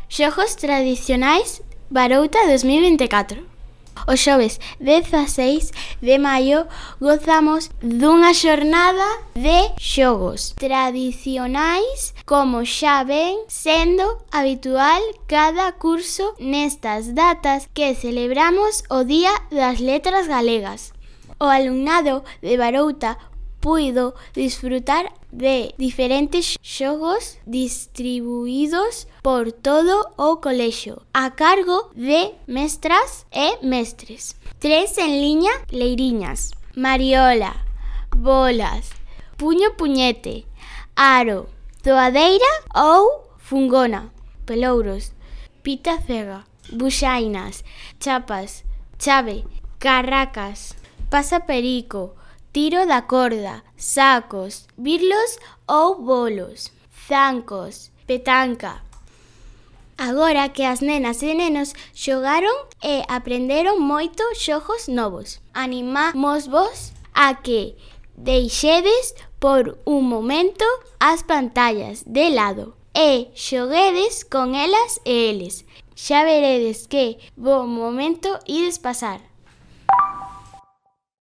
Xogos tradicionais Barouta 2024. O xoves 16 de maio gozamos dunha xornada de xogos tradicionais como xa ven sendo habitual cada curso nestas datas que celebramos o Día das Letras Galegas. O alumnado de Barouta puido disfrutar de diferentes xogos distribuídos por todo o colexio a cargo de mestras e mestres. 3 en liña leiriñas, mariola, bolas, puño-puñete, aro, toadeira ou fungona, pelouros, pita cega, buxainas, chapas, chave, carracas, pasa-perico, tiro da corda, sacos, birlos ou bolos, zancos, petanca. Agora que as nenas e nenos xogaron e aprenderon moito xogos novos, animámosvos a que deixedes por un momento as pantallas de lado e xoguedes con elas e eles. Xa veredes que bo momento ides pasar.